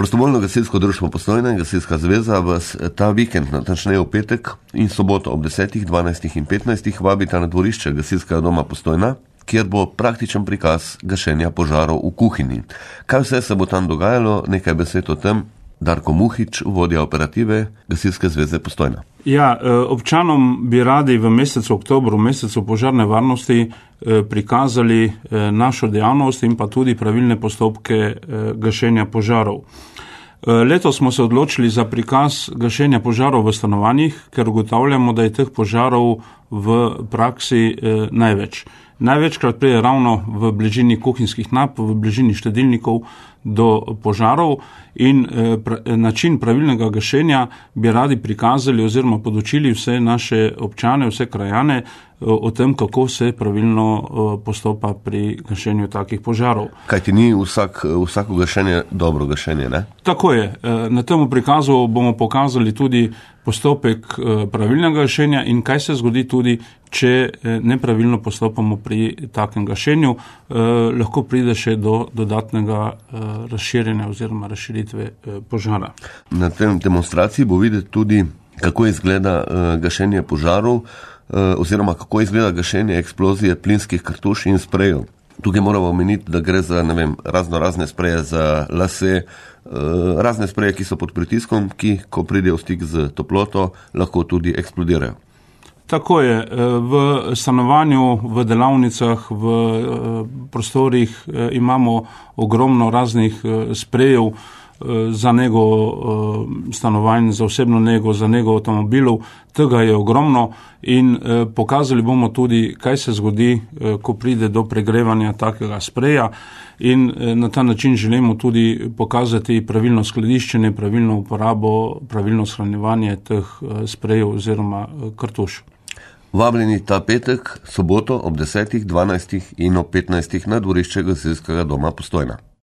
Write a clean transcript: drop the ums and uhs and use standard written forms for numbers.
Prostovoljno gasilsko društvo Postojna in Gasilska zveza vas ta vikend, natančneje v petek in soboto ob 10., 12. in 15. vabita na dvorišče Gasilskega doma Postojna, kjer bo praktičen prikaz gašenja požarov v kuhinji. Kaj vse se bo tam dogajalo, nekaj besed o tem, Darko Muhič, vodja operative Gasilske zveze Postojna. Ja, občanom bi radi v mesecu oktobru, mesecu požarne varnosti, prikazali našo dejavnost in pa tudi pravilne postopke gašenja požarov. Letos smo se odločili za prikaz gašenja požarov v stanovanjih, ker ugotavljamo, da je teh požarov v praksi največ. Največkrat pride ravno v bližini kuhinjskih nap, v bližini štedilnikov do požarov in način pravilnega gašenja bi radi prikazali oziroma podučili vse naše občane, vse krajane o tem, kako se pravilno postopa pri gašenju takih požarov. Kajti ni vsako gašenje dobro gašenje, ne? Tako je. Na tem prikazu bomo pokazali tudi postopek pravilnega gašenja in kaj se zgodi tudi, če nepravilno postopamo pri takem gašenju, lahko pride še do dodatnega razširjenja oziroma razširitve požara. Na tem demonstraciji bo videti tudi, kako izgleda gašenje požarov oziroma kako izgleda gašenje eksplozije plinskih kartuš in sprejev. Tukaj moramo omeniti, da gre za razne spreje za lase, razne spreje, ki so pod pritiskom, ki, ko pridejo v stik z toploto, lahko tudi eksplodirajo. Tako je. V stanovanju, v delavnicah, v prostorih imamo ogromno raznih sprejev za nego stanovanj, za osebno nego, za nego avtomobilov. Tega je ogromno in pokazali bomo tudi, kaj se zgodi, ko pride do pregrevanja takega spreja in na ta način želimo tudi pokazati pravilno skladiščenje, pravilno uporabo, pravilno shranjevanje teh sprejev oziroma kartuš. Vabljeni ta petek, soboto ob 10., 12. in ob 15. na dvorišče Gasilskega doma Postojna.